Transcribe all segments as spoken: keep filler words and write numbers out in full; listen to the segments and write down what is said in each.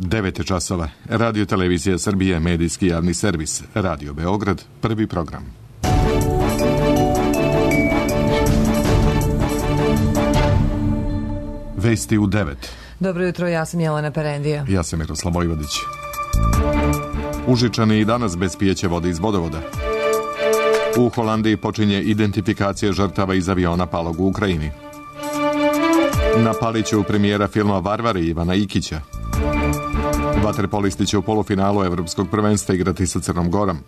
devet je časova. Radio Televizija Srbije, medijski javni servis. Radio Beograd, prvi program. Vesti u devet. Dobro jutro, ja sam Jelena Perendija. Ja sam Miroslav Vojvodić. Užičani i danas bez pijeće vode iz vodovoda. U Holandiji počinje identifikacija žrtava iz aviona palog u Ukrajini. Na Paliću premijera filma Varvari Ivana Ikića. Vaterpolisti će u polufinalu Evropskog prvenstva igrati sa Crnom Gorom.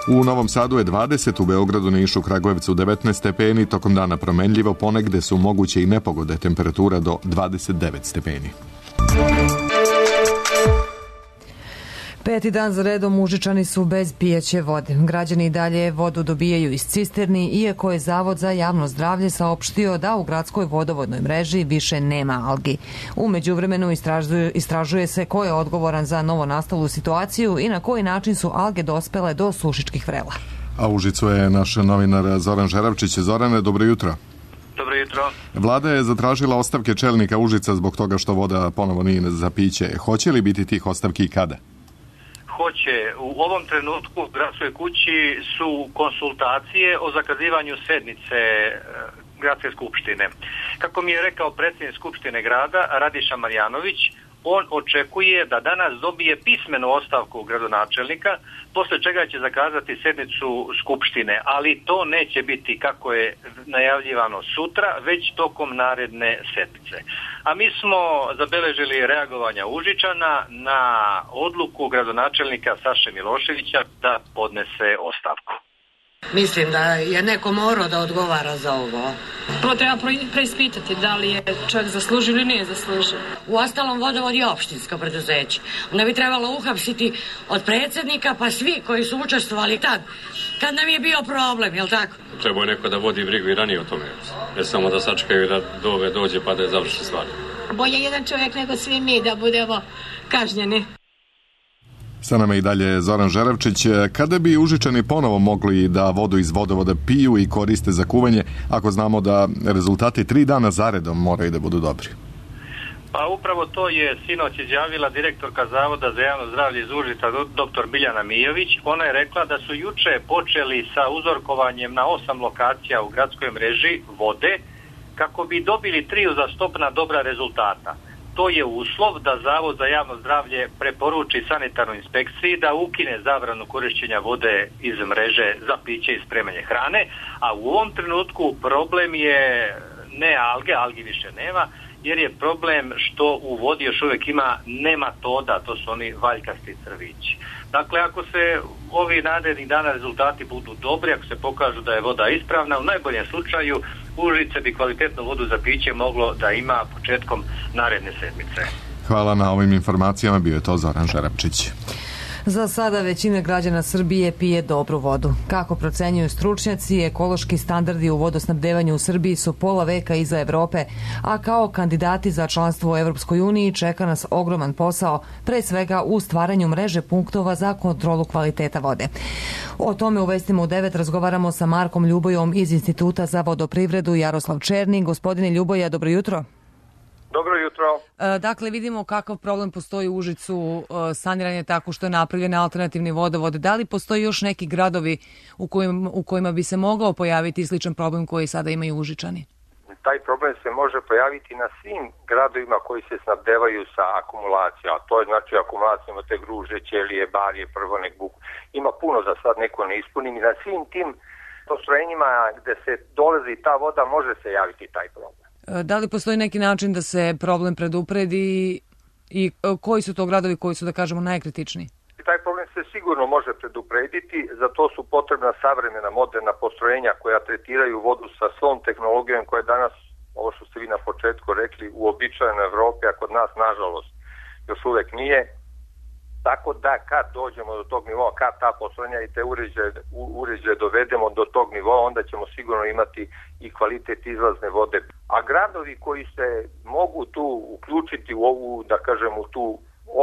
U Novom Sadu je dvadeset, u Beogradu, Nišu, Kragujevcu devetnaest stepeni, tokom dana promenljivo, ponegde su moguće i nepogode, temperatura do dvadeset devet stepeni. Peti dan za redom Užičani su bez pijeće vode. Građani i dalje vodu dobijaju iz cisterni, iako je Zavod za javno zdravlje saopštio da u gradskoj vodovodnoj mreži više nema algi. U međuvremenu istražuje, istražuje se ko je odgovoran za novonastalu situaciju i na koji način su alge dospele do sušičkih vrela. A u Užicu je naš novinar Zoran Žeravčić. Zorane, dobro jutro. Dobro jutro. Vlada je zatražila ostavke čelnika Užica zbog toga što voda ponovo nije za piće. Hoće li biti tih ostavki i kada? Hoće. U ovom trenutku u gradskoj kući su konsultacije o zakazivanju sednice gradske skupštine. Kako mi je rekao predsjednik skupštine grada Radiša Marjanović, on očekuje da danas dobije pismenu ostavku gradonačelnika, posle čega će zakazati sednicu skupštine, ali to neće biti kako je najavljivano sutra, već tokom naredne sedmice. A mi smo zabeležili reagovanja Užičana na odluku gradonačelnika Saše Miloševića da podnese ostavku. Mislim da je neko morao da odgovara za ovo. Prvo treba preispitati da li je čovjek zaslužio ili nije zaslužio. Uostalom, vodovod je opštinsko preduzeće. Onda bi trebalo uhapsiti od predsjednika pa svi koji su učestvovali tad, kad nam je bio problem, jel tako? Treba je neko da vodi brigu i ranije o tome. Ne samo da sačekaju da do ove dođe pa da je završi stvar. Bolje jedan čovjek nego svi mi da budemo kažnjeni. Sa nama i dalje Zoran Žeravčić. Kada bi Užičani ponovo mogli da vodu iz vodovoda piju i koriste za kuvanje, ako znamo da rezultati tri dana zaredom moraju da budu dobri? Pa upravo to je sinoć izjavila direktorka Zavoda za javno zdravlje iz Užica, doktor Biljana Mijović. Ona je rekla da su juče počeli sa uzorkovanjem na osam lokacija u gradskoj mreži vode kako bi dobili tri uzastopna dobra rezultata. To je uslov da Zavod za javno zdravlje preporuči sanitarnoj inspekciji da ukine zabranu korišćenja vode iz mreže za piće i spremanje hrane, a u ovom trenutku problem je ne alge, algi više nema, jer je problem što u vodi još uvijek ima nematoda, to su oni valjkasti crvići. Dakle, ako se ovi narednih dana rezultati budu dobri, ako se pokažu da je voda ispravna, u najboljem slučaju Užice bi kvalitetnu vodu za piće moglo da ima početkom naredne sedmice. Hvala na ovim informacijama, bio je to Zoran Žeravčić. Za sada većina građana Srbije pije dobru vodu. Kako procenjuju stručnjaci, ekološki standardi u vodosnabdevanju u Srbiji su pola veka iza Evrope, a kao kandidati za članstvo u Evropskoj uniji čeka nas ogroman posao, pre svega u stvaranju mreže punktova za kontrolu kvaliteta vode. O tome u Vestima u devet razgovaramo sa Markom Ljubojom iz Instituta za vodoprivredu Jaroslav Černi. Gospodine Ljuboja, dobro jutro. Dobro jutro. Dakle, vidimo kakav problem postoji u Užicu, saniranje tako što je napravljen alternativni vodovod. Da li postoji još neki gradovi u kojima, u kojima bi se mogao pojaviti sličan problem koji sada imaju Užičani? Taj problem se može pojaviti na svim gradovima koji se snabdevaju sa akumulacijom. A to je znači akumulacijama te Gruže, Ćelije, Barje, Prvonek, Buk. Ima puno, za sad neko ne ispunim. I na svim tim postrojenjima gde se dolazi ta voda može se javiti taj problem. Da li postoji neki način da se problem predupredi i koji su to gradovi koji su, da kažemo, najkritičniji? Taj problem se sigurno može preduprediti, za to su potrebna savremena moderna postrojenja koja tretiraju vodu sa svom tehnologijom koja je danas, ovo što ste vi na početku rekli, uobičajena u Evropi, a kod nas nažalost još uvek nije. Tako da kad dođemo do tog nivoa, kad ta postrojenja i te uređaje, uređaje dovedemo do tog nivoa, onda ćemo sigurno imati i kvalitet izlazne vode. A gradovi koji se mogu tu uključiti u ovu, da kažem, u tu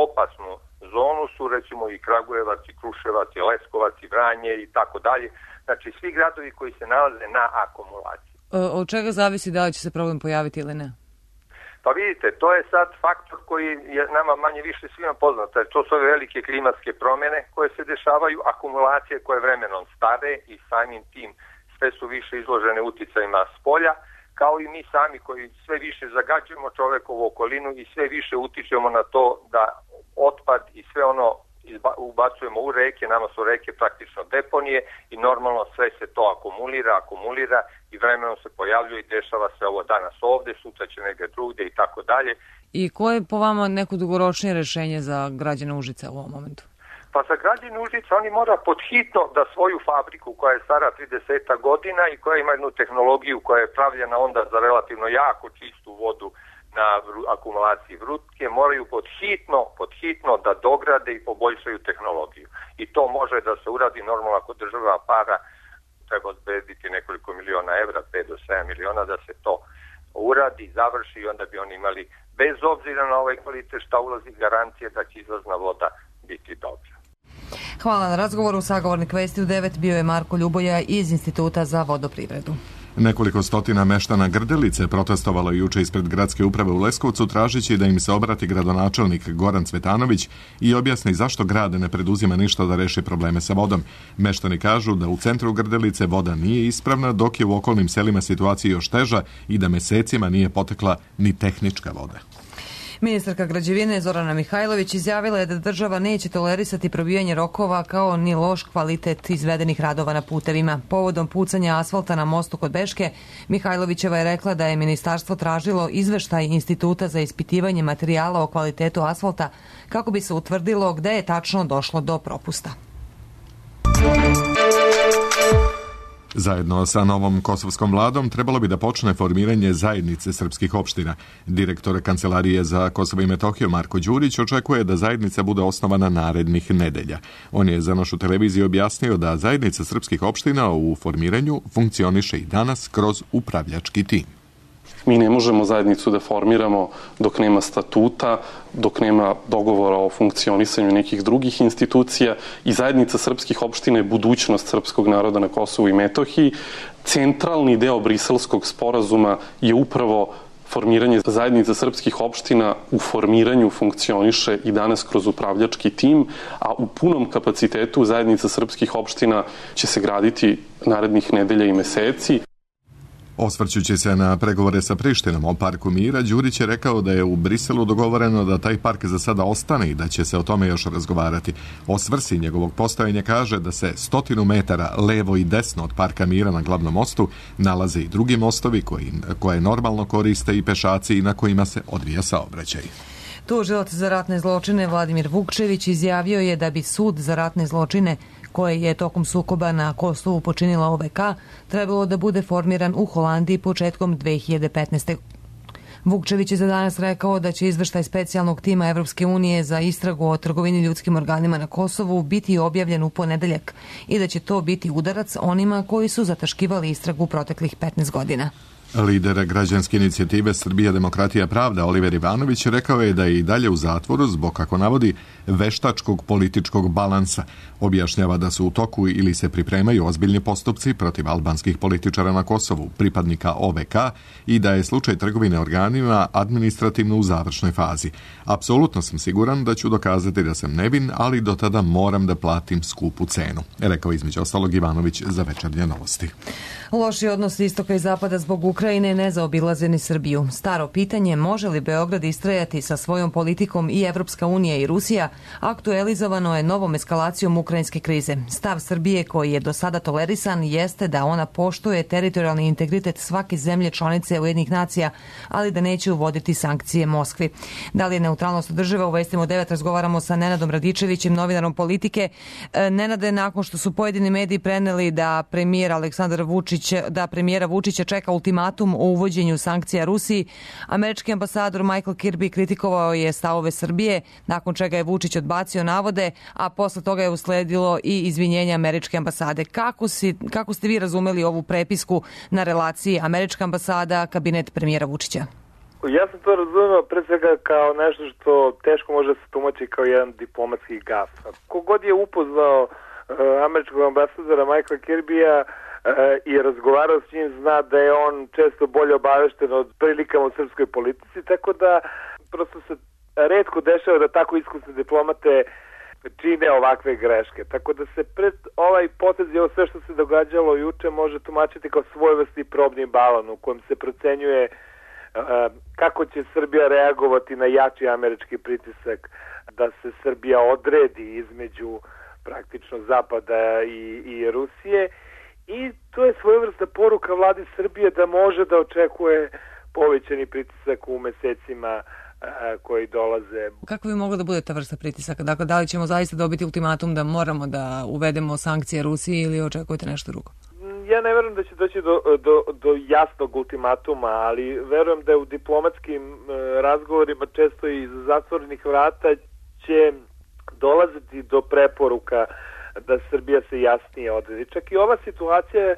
opasnu zonu su recimo i Kragujevac, i Kruševac, i Leskovac, i Vranje i tako dalje. Znači svi gradovi koji se nalaze na akumulaciji. Od čega zavisi da li će se problem pojaviti ili ne? Pa vidite, to je sad faktor koji je nama manje više svima poznat. To su ove velike klimatske promjene koje se dešavaju, akumulacije koje vremenom stare i samim tim sve su više izložene uticajima s polja, kao i mi sami koji sve više zagađujemo čovekovu okolinu i sve više utičemo na to da otpad i sve ono ubacujemo u reke, nama su reke praktično deponije i normalno sve se to akumulira, akumulira i vremenom se pojavljuje i dešava se ovo danas ovde, sutra će negdje drugdje i tako dalje. I koje je po vama neko dugoročnije rešenje za građane Užica u ovom momentu? Pa za građane Užica oni mora podhitno da svoju fabriku koja je stara trideset godina i koja ima jednu tehnologiju koja je pravljena onda za relativno jako čistu vodu na akumulaciji vrutke, moraju podhitno, podhitno da dograde i poboljšaju tehnologiju. I to može da se uradi normalno ako država para treba obezbediti nekoliko miliona evra, pet do sedam miliona da se to uradi, završi i onda bi oni imali, bez obzira na ovaj kvalitet šta ulazi, garancije da će izlazna voda biti dobra. Hvala na razgovoru. Sagovornik Vesti u devet bio je Marko Ljuboja iz Instituta za vodoprivredu. Nekoliko stotina meštana Grdelice protestovalo juče ispred gradske uprave u Leskovcu tražeći da im se obrati gradonačelnik Goran Cvetanović i objasni zašto grad ne preduzima ništa da reši probleme sa vodom. Meštani kažu da u centru Grdelice voda nije ispravna, dok je u okolnim selima situacija još teža i da mesecima nije potekla ni tehnička voda. Ministarka građevine Zorana Mihajlović izjavila je da država neće tolerisati probijanje rokova kao ni loš kvalitet izvedenih radova na putevima. Povodom pucanja asfalta na mostu kod Beške, Mihajlovićeva je rekla da je ministarstvo tražilo izveštaj Instituta za ispitivanje materijala o kvalitetu asfalta kako bi se utvrdilo gde je tačno došlo do propusta. Zajedno sa novom kosovskom vladom trebalo bi da počne formiranje zajednice srpskih opština. Direktor Kancelarije za Kosovo i Metohiju Marko Đurić očekuje da zajednica bude osnovana narednih nedelja. On je za našu televiziju objasnio da zajednica srpskih opština u formiranju funkcioniše i danas kroz upravljački tim. Mi ne možemo zajednicu da formiramo dok nema statuta, dok nema dogovora o funkcionisanju nekih drugih institucija i zajednica srpskih opština je budućnost srpskog naroda na Kosovu i Metohiji. Centralni deo Briselskog sporazuma je upravo formiranje zajednica srpskih opština. U formiranju funkcioniše i danas kroz upravljački tim, a u punom kapacitetu zajednica srpskih opština će se graditi narednih nedelja i meseci. Osvrćući se na pregovore sa Prištinom o parku mira, Đurić je rekao da je u Briselu dogovoreno da taj park za sada ostane i da će se o tome još razgovarati. O svrsi njegovog postojanja kaže da se stotinu metara levo i desno od parka mira na glavnom mostu nalaze i drugi mostovi koji, koje normalno koriste i pešaci i na kojima se odvija saobraćaj. Tužilac za ratne zločine Vladimir Vukčević izjavio je da bi sud za ratne zločine koje je tokom sukoba na Kosovu počinila O V K trebalo da bude formiran u Holandiji početkom dve hiljade petnaeste. Vukčević je za danas rekao da će izveštaj specijalnog tima Evropske unije za istragu o trgovini ljudskim organima na Kosovu biti objavljen u ponedeljak i da će to biti udarac onima koji su zataškivali istragu proteklih petnaest godina. Lider građanske inicijative Srbija, demokratija, pravda Oliver Ivanović rekao je da je i dalje u zatvoru zbog, kako navodi, veštačkog političkog balansa. Objašnjava da su u toku ili se pripremaju ozbiljni postupci protiv albanskih političara na Kosovu, pripadnika O V K, i da je slučaj trgovine organima administrativno u završnoj fazi. Apsolutno sam siguran da ću dokazati da sam nevin, ali do tada moram da platim skupu cenu, rekao između ostalog Ivanović za Večernje novosti. Loši odnosi istoka i zapada zbog Ukrajine ne zaobilaze ni Srbiju. Staro pitanje, može li Beograd istrajati sa svojom politikom i Evropska unija i Rusija, aktualizovano je novom eskalacijom ukrajinske krize. Stav Srbije, koji je do sada tolerisan, jeste da ona poštuje teritorijalni integritet svake zemlje članice Ujedinjenih nacija, ali da neće uvoditi sankcije Moskvi. Da li je neutralnost održiva? U Vestima u devet razgovaramo sa Nenadom Radičevićem, novinarom Politike. Nenade, nakon što su pojedini mediji preneli da premijer Aleksandar Vučić da premijera Vučića čeka ultimatum o uvođenju sankcija Rusiji, američki ambasador Michael Kirby kritikovao je stavove Srbije, nakon čega je Vučić odbacio navode, a posle toga je usledilo i izvinjenje američke ambasade. Kako, si, kako ste vi razumeli ovu prepisku na relaciji američka ambasada, kabinet premijera Vučića? Ja sam to razumio pre svega kao nešto što teško može se tumačiti kao jedan diplomatski gaf. Kogod je upoznao uh, američkog ambasadora Michaela Kirbya, i razgovarao s njim, zna da je on često bolje obavešten od prilikama u srpskoj politici, tako da prosto se retko dešava da tako iskusne diplomate čine ovakve greške. Tako da se pred ovaj potez i ovo sve što se događalo juče može tumačiti kao svojevrsni probni balon u kojem se procenjuje uh, kako će Srbija reagovati na jači američki pritisak da se Srbija odredi između praktično Zapada i, i Rusije, i to je svojevrsna poruka vladi Srbije da može da očekuje povećani pritisak u mesecima koji dolaze. Kako bi mogla da bude ta vrsta pritisaka? Dakle, da li ćemo zaista dobiti ultimatum da moramo da uvedemo sankcije Rusiji ili očekujete nešto drugo? Ja ne verujem da će doći do, do, do jasnog ultimatuma, ali verujem da je u diplomatskim razgovorima često iz zatvorenih vrata će dolaziti do preporuka da Srbija se jasnije odredi. Čak i ova situacija je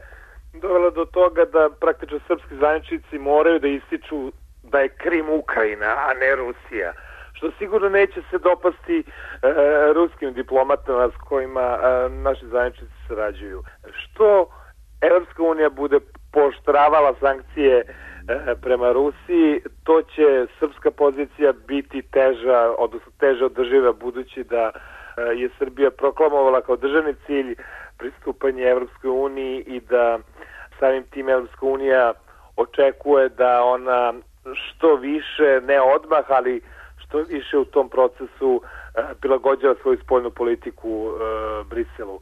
dovela do toga da praktično srpski zvaničnici moraju da ističu da je Krim Ukrajina, a ne Rusija, što sigurno neće se dopasti e, ruskim diplomatama s kojima e, naši zvaničnici sarađuju. Što Evropska unija bude pooštravala sankcije e, prema Rusiji, to će srpska pozicija biti teža, odnosno teže održiva, budući da e, je Srbija proklamovala kao državni cilj pristupanje Evropskoj uniji i da samim tim Evropska unija očekuje da ona što više, ne odmah, ali što više u tom procesu prilagođava svoju spoljnu politiku Briselu.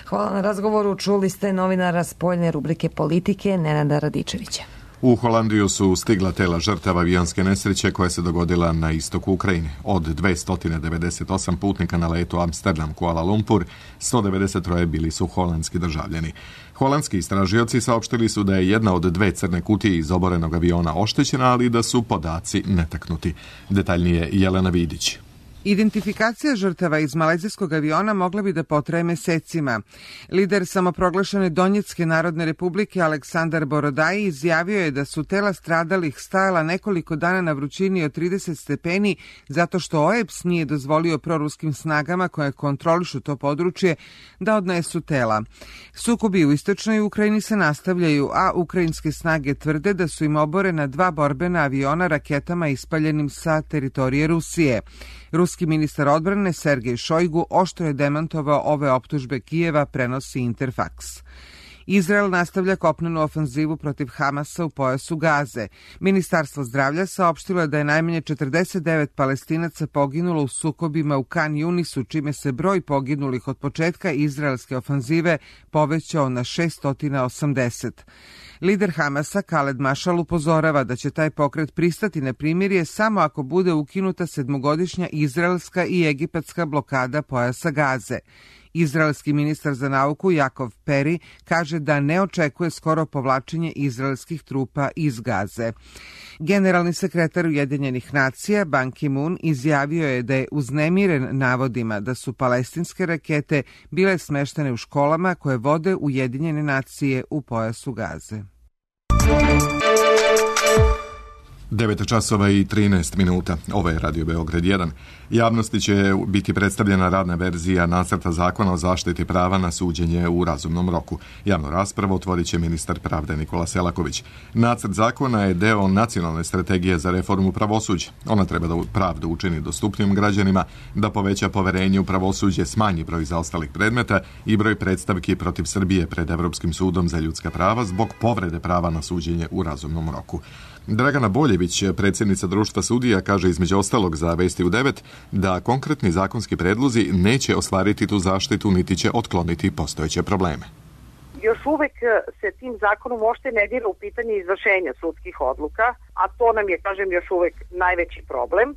Hvala na razgovoru. Čuli ste novinara spoljne rubrike Politike Nenada Radičevića. U Holandiju su stigla tela žrtava avionske nesreće koja se dogodila na istoku Ukrajine. Od dvesta devedeset osam putnika na letu Amsterdam-Kuala Lumpur, sto devedeset tri bili su holandski državljani. Holandski istražioci saopštili su da je jedna od dve crne kutije iz oborenog aviona oštećena, ali da su podaci netaknuti. Detaljnije Jelena Vidić. Identifikacija žrtava iz malezijskog aviona mogla bi da potraje mesecima. Lider samoproglašene Donjetske narodne republike Aleksandar Borodaji izjavio je da su tela stradalih stajala nekoliko dana na vrućini od trideset stepeni zato što O E B S nije dozvolio proruskim snagama koje kontrolišu to područje da odnesu tela. Sukobi u istočnoj Ukrajini se nastavljaju, a ukrajinske snage tvrde da su im oborena dva borbena aviona raketama ispaljenim sa teritorije Rusije. Ruski ministar odbrane Sergej Šojgu oštro je demantovao ove optužbe Kijeva, prenosi Interfax. Izrael nastavlja kopnenu ofanzivu protiv Hamasa u pojasu Gaze. Ministarstvo zdravlja saopštilo je da je najmanje četrdeset devet Palestinaca poginulo u sukobima u Kan Junisu, čime se broj poginulih od početka izraelske ofanzive povećao na šesto osamdeset. Lider Hamasa Khaled Mašal upozorava da će taj pokret pristati na primirje samo ako bude ukinuta sedmogodišnja izraelska i egipatska blokada pojasa Gaze. Izraelski ministar za nauku Jakov Peri kaže da ne očekuje skoro povlačenje izraelskih trupa iz Gaze. Generalni sekretar Ujedinjenih nacija Ban Ki-moon izjavio je da je uznemiren navodima da su palestinske rakete bile smeštene u školama koje vode Ujedinjene nacije u pojasu Gaze. devet časova i trinaest minuta. Ovo je Radio Beograd jedan. Javnosti će biti predstavljena radna verzija nacrta zakona o zaštiti prava na suđenje u razumnom roku. Javnu raspravu otvorit će ministar pravde Nikola Selaković. Nacrt zakona je deo nacionalne strategije za reformu pravosuđa. Ona treba da pravdu učini dostupnijim građanima, da poveća poverenje u pravosuđe, smanji broj zaostalih predmeta i broj predstavki protiv Srbije pred Evropskim sudom za ljudska prava zbog povrede prava na suđenje u razumnom roku. Dragana Boljević, predsjednica Društva sudija, kaže između ostalog za Vesti u devet da konkretni zakonski predlozi neće ostvariti tu zaštitu niti će otkloniti postojeće probleme. Još uvek se tim zakonom uopšte ne dira u pitanje izvršenja sudskih odluka, a to nam je, kažem, još uvek najveći problem.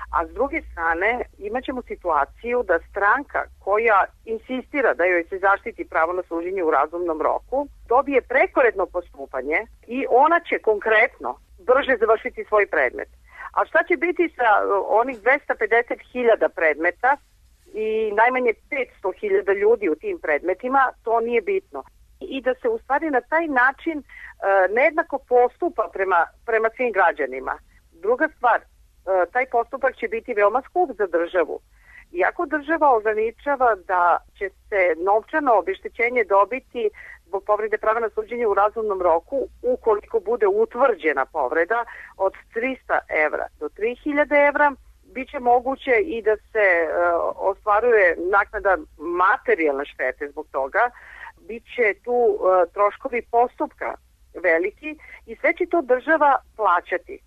A s druge strane imaćemo situaciju da stranka koja insistira da joj se zaštiti pravo na suđenje u razumnom roku dobije prekoredno postupanje i ona će konkretno brže završiti svoj predmet. A šta će biti sa onih dvesta pedeset hiljada predmeta i najmanje petsto hiljada ljudi u tim predmetima, to nije bitno. I da se u stvari na taj način e, nejednako postupa prema, prema svim građanima. Druga stvar, e, taj postupak će biti veoma skup za državu. Iako država ograničava da će se novčano obeštećenje dobiti zbog povrede prava na suđenje u razumnom roku, ukoliko bude utvrđena povreda, od trista evra do tri hiljade evra. Biće moguće i da se uh, ostvaruje naknada materijalne štete zbog toga. Biće tu uh, troškovi postupka veliki i sve će to država plaćati.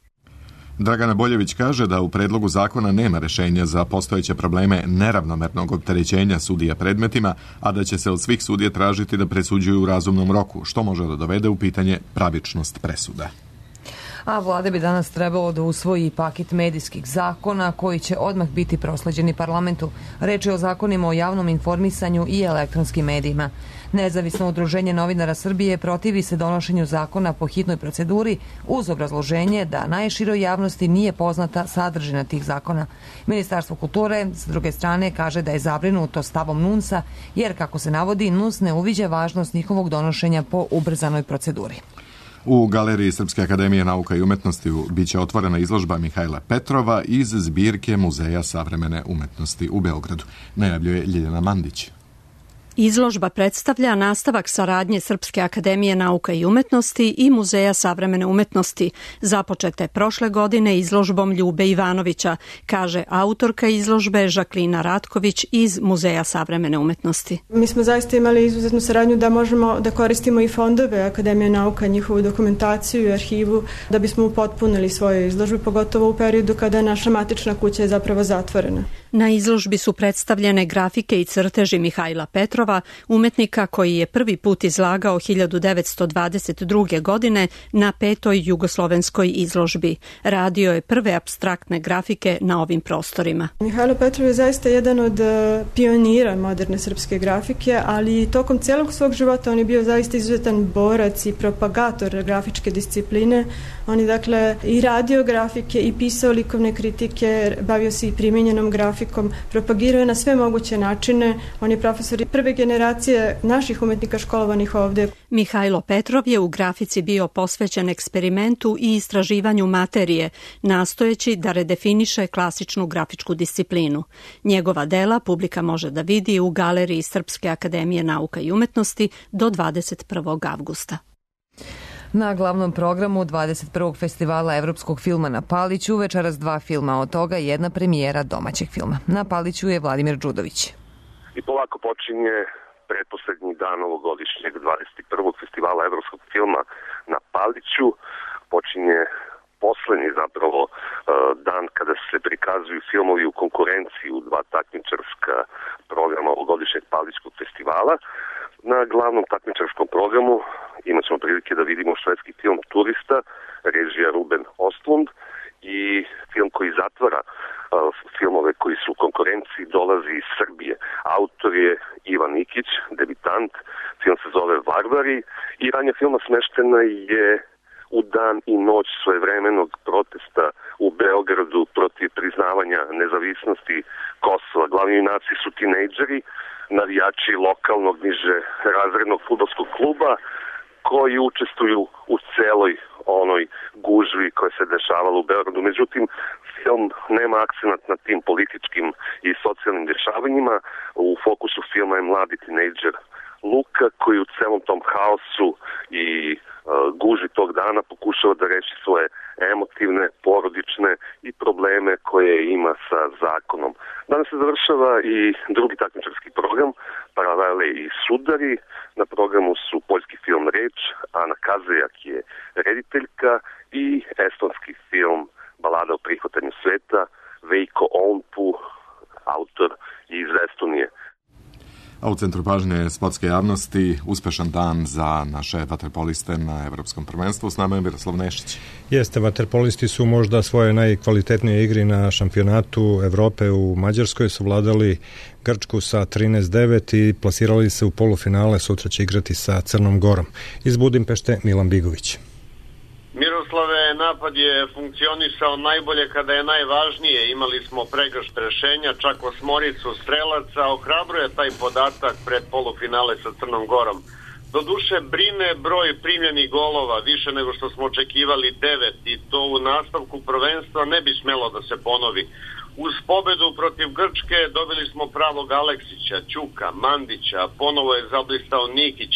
Dragana Boljević kaže da u predlogu zakona nema rešenja za postojeće probleme neravnomernog opterećenja sudija predmetima, a da će se od svih sudija tražiti da presuđuju u razumnom roku, što može da dovede u pitanje pravičnost presuda. A vlada bi danas trebalo da usvoji paket medijskih zakona koji će odmah biti prosleđeni parlamentu. Reč je o zakonima o javnom informisanju i elektronskim medijima. Nezavisno udruženje novinara Srbije protivi se donošenju zakona po hitnoj proceduri uz obrazloženje da najširoj javnosti nije poznata sadržina tih zakona. Ministarstvo kulture, s druge strane, kaže da je zabrinuto stavom NUNS-a, jer, kako se navodi, NUNS ne uviđa važnost njihovog donošenja po ubrzanoj proceduri. U Galeriji Srpske akademije nauka i umetnosti biće otvorena izložba Mihajla Petrova iz zbirke Muzeja savremene umetnosti u Beogradu, najavljuje Ljiljana Mandić. Izložba predstavlja nastavak saradnje Srpske akademije nauka i umetnosti i Muzeja savremene umetnosti, započete prošle godine izložbom Ljube Ivanovića, kaže autorka izložbe Žaklina Ratković iz Muzeja savremene umetnosti. Mi smo zaista imali izuzetnu saradnju da možemo da koristimo i fondove Akademije nauka, njihovu dokumentaciju i arhivu, da bismo upotpunili svoje izložbe, pogotovo u periodu kada je naša matična kuća je zapravo zatvorena. Na izložbi su predstavljene grafike i crteži Mihajla Petrova, umetnika koji je prvi put izlagao hiljadu devetsto dvadeset druge. godine na petoj jugoslovenskoj izložbi. Radio je prve apstraktne grafike na ovim prostorima. Mihajlo Petrov je zaista jedan od pionira moderne srpske grafike, ali tokom celog svog života on je bio zaista izuzetan borac i propagator grafičke discipline. On je dakle i radio grafike i pisao likovne kritike, bavio se i primenjenom grafikom, propagirao je na sve moguće načine. On je profesor prve generacije naših umetnika školovanih ovde. Mihajlo Petrov je u grafici bio posvećen eksperimentu i istraživanju materije, nastojeći da redefiniše klasičnu grafičku disciplinu. Njegova dela publika može da vidi u Galeriji Srpske akademije nauka i umetnosti do dvadeset prvog avgusta. Na glavnom programu dvadeset prvog festivala evropskog filma na Paliću večeras dva filma, od toga jedna premijera domaćeg filma. Na Paliću je Vladimir Đudović. I polako počinje pretposlednji dan ovogodišnjeg dvadeset prvog festivala evropskog filma na Paliću. Počinje poslednji zapravo dan kada se prikazuju filmovi u konkurenciji u dva takmičarska programa ovogodišnjeg Palićkog festivala. Na glavnom takmičarskom programu imat ćemo prilike da vidimo švedski film Turista, režija Ruben Ostlund, i film koji zatvara uh, filmove koji su u konkurenciji, dolazi iz Srbije. Autor je Ivan Nikić, debitant, film se zove Varvari i ranja filma smeštena je u dan i noć svojevremenog protesta u Beogradu protiv priznavanja nezavisnosti Kosova. Glavni junaci su tinejdžeri, navijači lokalnog niže razrednog fudbalskog kluba koji učestvuju u celoj onoj gužvi koja se dešavala u Beogradu. Međutim, film nema akcenat na tim političkim i socijalnim dešavanjima. U fokusu filma je mladi tinejdžer Luka koji u celom tom haosu i uh, gužvi tog dana pokušava da reši svoje emotivne, porodične i probleme koje ima sa zakonom. Danas se završava i drugi takmičarski program, Paralele i sudari. Na programu su poljski film Reč, Ana Kazejak je rediteljka, i estonski film Balada o prihvatanju sveta, Veiko Ounpu, autor iz Estonije. A u centru pažnje sportske javnosti uspešan dan za naše vaterpoliste na Evropskom prvenstvu. S nama je Miroslav Nešić. Jeste, vaterpolisti su možda svoje najkvalitetnije igri na šampionatu Evrope u Mađarskoj savladali Grčku sa trinaest devet i plasirali se u polufinale. Sutra će igrati sa Crnom Gorom. Iz Budimpešte Milan Bigović. Miroslave, napad je funkcionisao najbolje kada je najvažnije. Imali smo pregršt rešenja, čak osmoricu strelaca. Ohrabruje taj podatak pred polufinale sa Crnom Gorom. Doduše, brine broj primljenih golova, više nego što smo očekivali, devet, i to u nastavku prvenstva ne bi smelo da se ponovi. Uz pobedu protiv Grčke dobili smo pravog Aleksića, Ćuka, Mandića, ponovo je zablistao Nikić.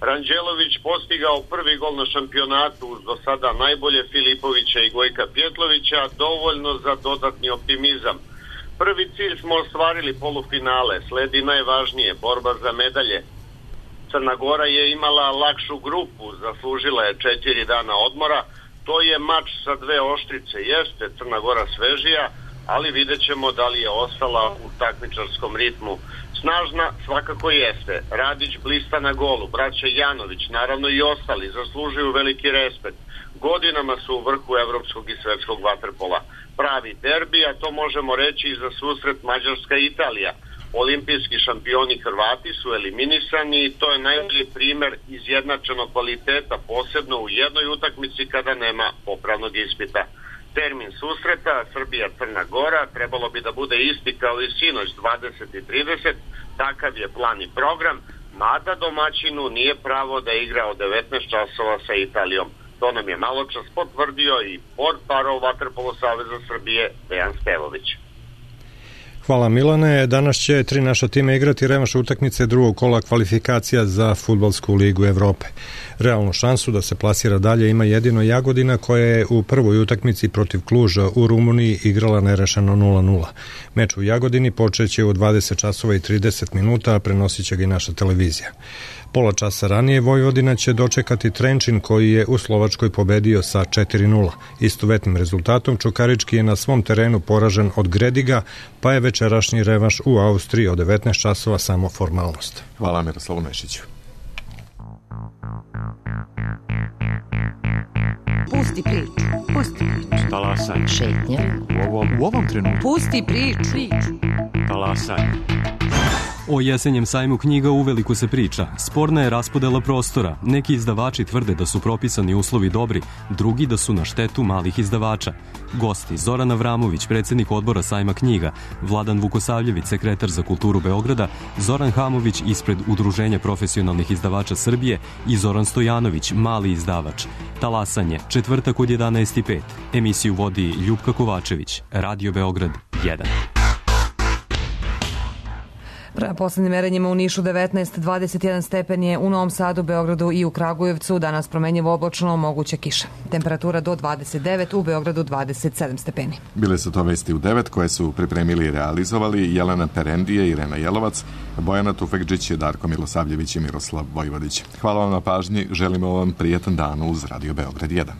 Ranđelović postigao prvi gol na šampionatu uz do sada najbolje Filipovića i Gojka Pjetlovića, dovoljno za dodatni optimizam. Prvi cilj smo ostvarili, polufinale, sledi najvažnije, borba za medalje. Crna Gora je imala lakšu grupu, zaslužila je četiri dana odmora, to je mač sa dve oštrice, jeste Crna Gora svežija, ali vidjet ćemo da li je ostala u takmičarskom ritmu. Snažna svakako jeste, Radić blista na golu, braća Janović, naravno i ostali, zaslužuju veliki respekt. Godinama su u vrhu evropskog i svetskog vaterpola. Pravi derbi, a to možemo reći i za susret Mađarska i Italija. Olimpijski šampioni Hrvati su eliminisani i to je najbolji primer izjednačenog kvaliteta, posebno u jednoj utakmici kada nema popravnog ispita. Termin susreta Srbija-Crna Gora trebalo bi da bude isti kao i sinoć dvadeset i trideset, takav je plan i program, mada domaćinu nije pravo da igra od devetnaest časova sa Italijom. To nam je maločas potvrdio i portparol Vaterpolo Saveza Srbije Dejan Stevović. Hvala Milane. Danas će tri naša tima igrati revanš utakmice drugog kola kvalifikacija za Fudbalsku ligu Evrope. Realnu šansu da se plasira dalje ima jedino Jagodina, koja je u prvoj utakmici protiv Kluža u Rumuniji igrala nerešeno nula nula. Meč u Jagodini počeće u dvadeset časova i trideset minuta, a prenosit će ga i naša televizija. Pola časa ranije Vojvodina će dočekati Trenčin, koji je u Slovačkoj pobedio sa četiri nula. Istovetnim rezultatom Čukarički je na svom terenu poražen od Grediga, pa je večerašnji revanš u Austriji od devetnaest časova samo formalnost. Hvala Miroslavu Nešiću. Pusti priču, pusti priču. Talasanje. Šetnja. U ovom, u ovom trenutku. Pusti priču. Talasanje. O jesenjem sajmu knjiga uveliko se priča. Sporna je raspodela prostora. Neki izdavači tvrde da su propisani uslovi dobri, drugi da su na štetu malih izdavača. Gosti: Zoran Avramović, predsjednik odbora sajma knjiga, Vladan Vukosavljević, sekretar za kulturu Beograda, Zoran Hamović ispred Udruženja profesionalnih izdavača Srbije i Zoran Stojanović, mali izdavač. Talasanje, četvrtak od jedanaest i pet. Emisiju vodi Ljupka Kovačević, Radio Beograd jedan. Prema poslednjim merenjima u Nišu devetnaest, dvadeset jedan stepen je, u Novom Sadu, Beogradu i u Kragujevcu, danas promenjivo oblačno, moguća kiša. Temperatura do dvadeset devet, u Beogradu dvadeset sedam stepeni. Bile su to vesti u devet koje su pripremili i realizovali Jelena Perendije, Irena Jelovac, Bojana Tufekđić, Darko Milosavljević i Miroslav Vojvodić. Hvala vam na pažnji, želimo vam prijetan dan uz Radio Beograd jedan.